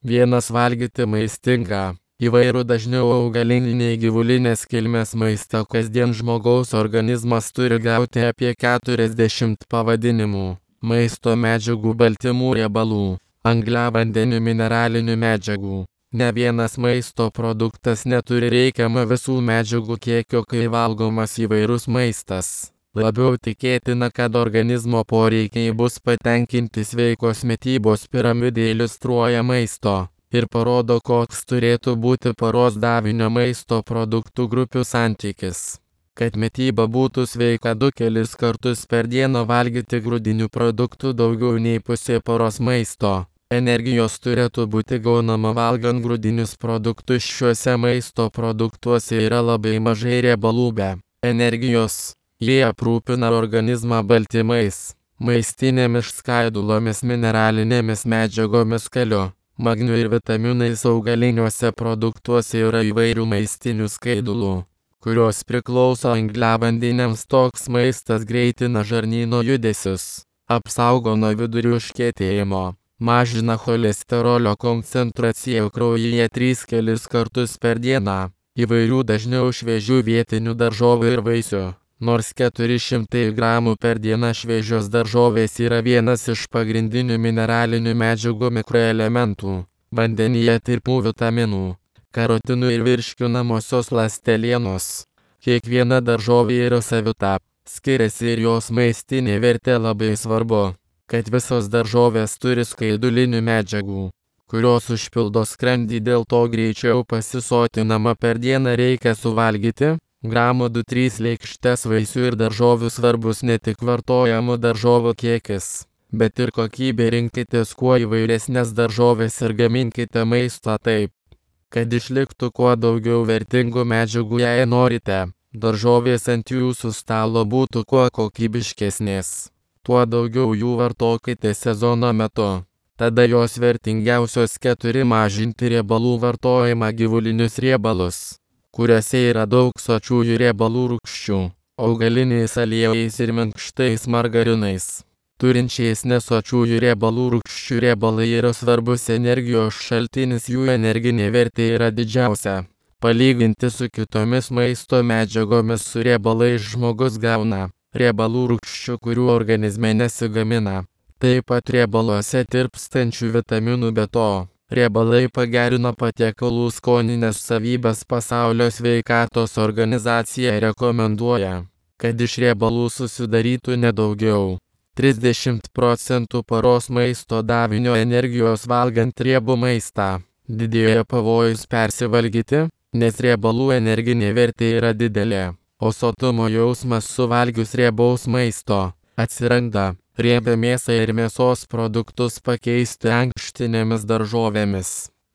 Vienas valgyti maistingą, įvairų dažniau augaliniai gyvulinės kilmės maistą kasdien žmogaus organizmas turi gauti apie 40 pavadinimų - maisto medžiagų, baltymų, riebalų, angliavandenių, mineralinių medžiagų. Ne vienas maisto produktas neturi reikiamą visų medžiagų kiekio, kai valgomas įvairus maistas. Labiau tikėtina, kad organizmo poreikiai bus patenkinti sveikos mitybos piramidė iliustruoja maisto ir parodo, koks turėtų būti paros davinio maisto produktų grupių santykis. Kad mityba būtų sveika, 2 kartus per dieną valgyti grūdinių produktų daugiau nei pusė paros maisto. Energijos turėtų būti gaunama valgant grūdinius produktus. Šiuose maisto produktuose yra labai mažai riebalų be energijos. Jie aprūpina organizmą baltymais, maistinėmis skaidulomis, mineralinėmis medžiagomis, kaliu, magniu ir vitaminais. Augaliniuose produktuose yra įvairių maistinių skaidulų, kurios priklauso angliavandeniams. Toks maistas greitina žarnyno judesius, apsaugo nuo vidurių užkietėjimo, mažina cholesterolio koncentraciją kraujyje 3 kartus per dieną. Įvairių dažniau šviežių vietinių daržovių ir vaisių. Nors 400 gramų per dieną šviežios daržovės yra vienas iš pagrindinių mineralinių medžiagų mikroelementų, vandenyje tirpių vitaminų, karotinų ir virškinamosios ląstelienos. Kiekviena daržovė yra savita, skiriasi ir jos maistinė vertė. Labai svarbu, kad visos daržovės turi skaidulinių medžiagų, kurios užpildo skrandį, dėl to greičiau pasisotinama. Per dieną reikia suvalgyti gramų 2-3 lėkštes vaisių ir daržovių. Svarbus ne tik vartojamų daržovių kiekis, bet ir kokybė. Rinkitės kuo įvairesnės daržovės ir gaminkite maistą taip, kad išliktų kuo daugiau vertingų medžiagų. Jei norite, daržovės ant jūsų stalo būtų kuo kokybiškesnės, tuo daugiau jų vartokite sezono metu. Tada jos vertingiausios. 4. Mažinti riebalų vartojimą. Gyvulinius riebalus, kuriuose yra daug sočiųjų riebalų rūgščių, augaliniais aliejais ir minkštais margarinais, turinčiais nesočiųjų riebalų rūgščių. Riebalai yra svarbus energijos šaltinis, jų energinė vertė yra didžiausia. Palyginti su kitomis maisto medžiagomis, su riebalais žmogus gauna riebalų rūgščių, kurių organizme nesigamina. Taip pat riebaluose tirpstančių vitaminų. Be to, riebalai pagerina patiekalų skoninės savybės. Pasaulio sveikatos organizacija rekomenduoja, kad iš riebalų susidarytų nedaugiau 30% paros maisto davinio energijos valgant riebų maistą. Didėja pavojus persivalgyti, nes riebalų energinė vertė yra didelė, o sotumo jausmas suvalgius riebaus maisto atsiranda. Riebią mėsą ir mėsos produktus pakeisti ankštinėmis daržovėmis,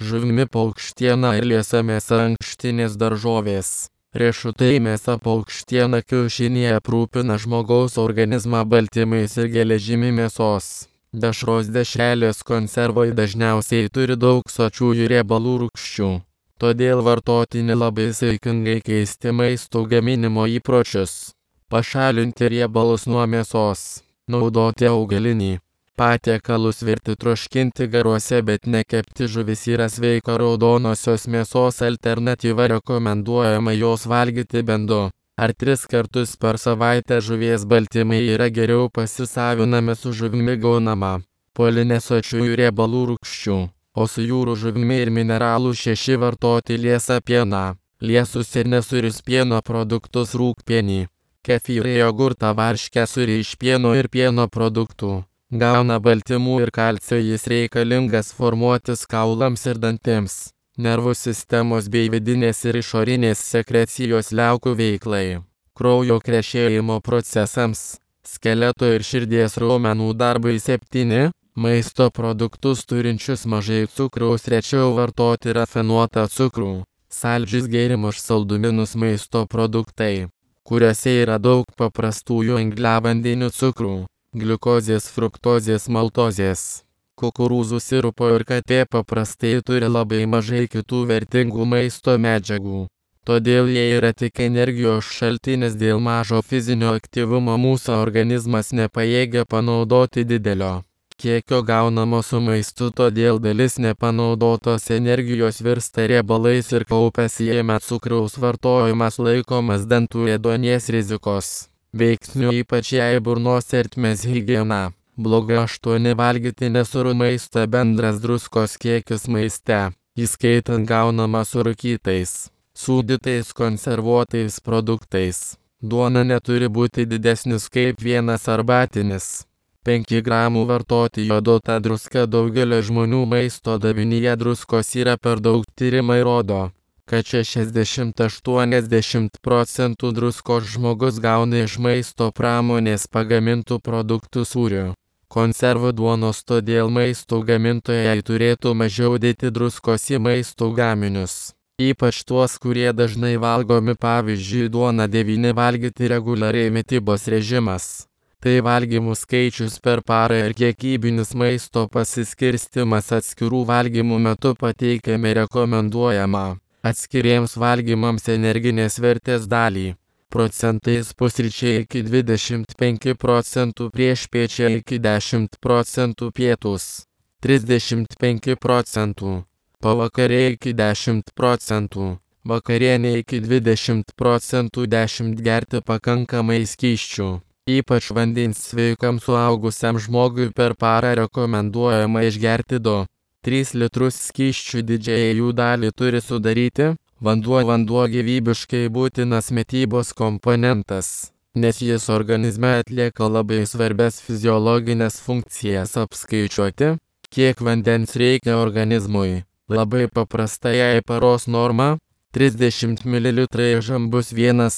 žuvimi, paukštiena ir liesa mėsa. Ankštinės daržovės, riešutai, mėsa, paukštiena, kiaušiniai aprūpina žmogaus organizmą baltymais ir geležimi. Mėsos dešros, dešrelės, konservai dažniausiai turi daug sočiųjų riebalų rūgščių, todėl vartotini labai saikingai. Keisti maisto gaminimo įpročius, pašalinti riebalus nuo mėsos. Naudoti augalinį patiekalus, virti, troškinti garuose, bet nekepti. Žuvis yra sveika raudonosios mėsos alternatyva. Rekomenduojama jos valgyti bent 2 ar 3 kartus per savaitę. Žuvies baltymai yra geriau pasisavinami. Su žuvimi gaunama polinesočiųjų riebalų rūgščių, o su jūrų žuvimi ir mineralų 6. Vartoti liesą pieną, liesus ir nesūrius pieno produktus, rūgpienį, kefyrą, jogurtą, varškę, sūrį iš pieno ir pieno produktų. Gauna baltymų ir kalcio. Jis reikalingas formuotis kaulams ir dantims, nervų sistemos bei vidinės ir išorinės sekrecijos liaukų veiklai, kraujo krešėjimo procesams, skeleto ir širdies raumenų darbui. 7. Maisto produktus turinčius mažai cukraus rečiau vartoti. Rafinuotą cukrų, saldžius gėrimus, saldumynus. Maisto produktai, kuriuose yra daug paprastųjų angliavandenių, cukrų, gliukozės, fruktozės, maltozės, kukurūzų sirupo ir katė paprastai turi labai mažai kitų vertingų maisto medžiagų. Todėl jie yra tik energijos šaltinis. Dėl mažo fizinio aktyvumo mūsų organizmas nepajėgia panaudoti didelio kiekio gaunamo su maistu, todėl dalis nepanaudotos energijos virsta riebalais ir kaupiasi jame. Cukraus vartojimas laikomas dantų ėduonies rizikos veiksniu, ypač jei burnos ertmės higiena bloga. 8. Valgyti nesūrų maistą. Bendras druskos kiekis maiste, įskaitant gaunamą su rūkytais, sūdytais, konservuotais produktais, duona, neturi būti didesnis kaip 1 arbatinis. 5 gramų vartoti joduotą druską. Daugelio žmonių maisto davinyje druskos yra per daug. Tyrimai rodo, kad 60–80% druskos žmogus gauna iš maisto pramonės pagamintų produktų, sūrių, konservų, duonos, todėl maisto gamintojai turėtų mažiau dėti druskos į maisto gaminius, ypač tuos, kurie dažnai valgomi, pavyzdžiui duona. 9. Valgyti reguliariai. Mitybos režimas – tai valgymų skaičius per parą ir kiekybinis maisto pasiskirstimas. Atskirų valgymų metu pateikiame rekomenduojamą atskiriems valgymams energinės vertės dalį. Procentais: pusryčiai iki 25%, priešpiečiai iki 10%, pietūs 35%, pavakariai iki 10%, vakarienė iki 20%. 10. Gerti pakankamai skysčių, ypač vandens. Sveikam suaugusiam žmogui per parą rekomenduojama išgerti 2–3 litrus skysčių. Didžiąją jų dalį turi sudaryti vanduo. Vanduo gyvybiškai būtinas mitybos komponentas, nes jis organizme atlieka labai svarbias fiziologinės funkcijas. Apskaičiuoti, kiek vandens reikia organizmui, labai paprasta. Jei paros norma 30 ml žambus 1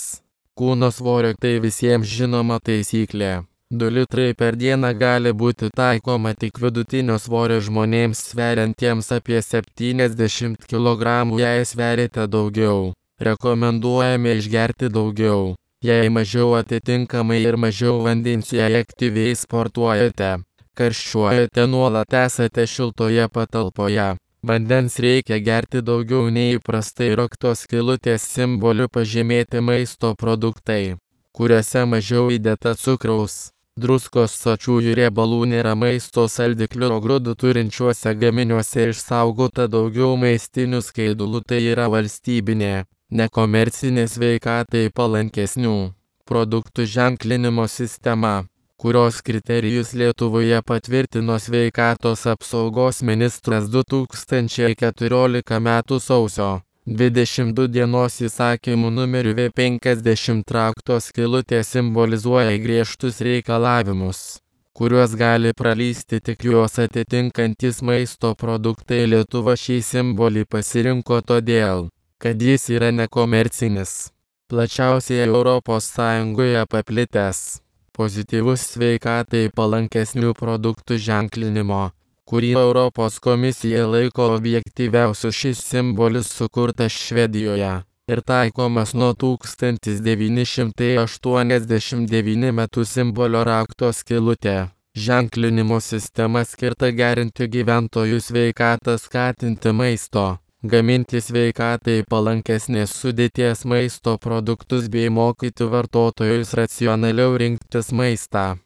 kūno svorio, tai visiems žinoma taisyklė. 2 litrai per dieną gali būti taikoma tik vidutinio svorio žmonėms sveriantiems apie 70 kg. Jei sveriate daugiau, rekomenduojame išgerti daugiau. Jei mažiau, atitinkamai ir mažiau vandens. Jei aktyviai sportuojate, karščiuojate, nuolat esate šiltoje patalpoje, vandens reikia gerti daugiau nei įprastai. Raktos skylutės simboliu pažymėti maisto produktai, kuriuose mažiau įdėta cukraus, druskos, sočiųjų riebalų nėra. Maisto saldiklių grūdų turinčiuose gaminiuose išsaugota daugiau maistinių skaidulų. Tai yra valstybinė, nekomercinė, sveikatai palankesnių produktų ženklinimo sistema, kurios kriterijus Lietuvoje patvirtino Sveikatos apsaugos ministras 2014 m. sausio 22 dienos įsakymu numeriu V50. Rakto skylutė simbolizuoja griežtus reikalavimus, kuriuos gali pralysti tik juos atitinkantis maisto produktai. Lietuva šį simbolį pasirinko todėl, kad jis yra nekomercinis, plačiausiai ES paplitęs, pozityvus sveikatai palankesnių produktų ženklinimo, kurį Europos komisija laiko objektyviausiu. Šis simbolis sukurtas Švedijoje ir taikomas nuo 1989 m. Simbolio rakto skylutė ženklinimo sistema skirta gerinti gyventojų sveikatą, skatinti maisto, gaminti sveikatai palankesnės sudėties maisto produktus bei mokyti vartotojus racionaliau rinktis maistą.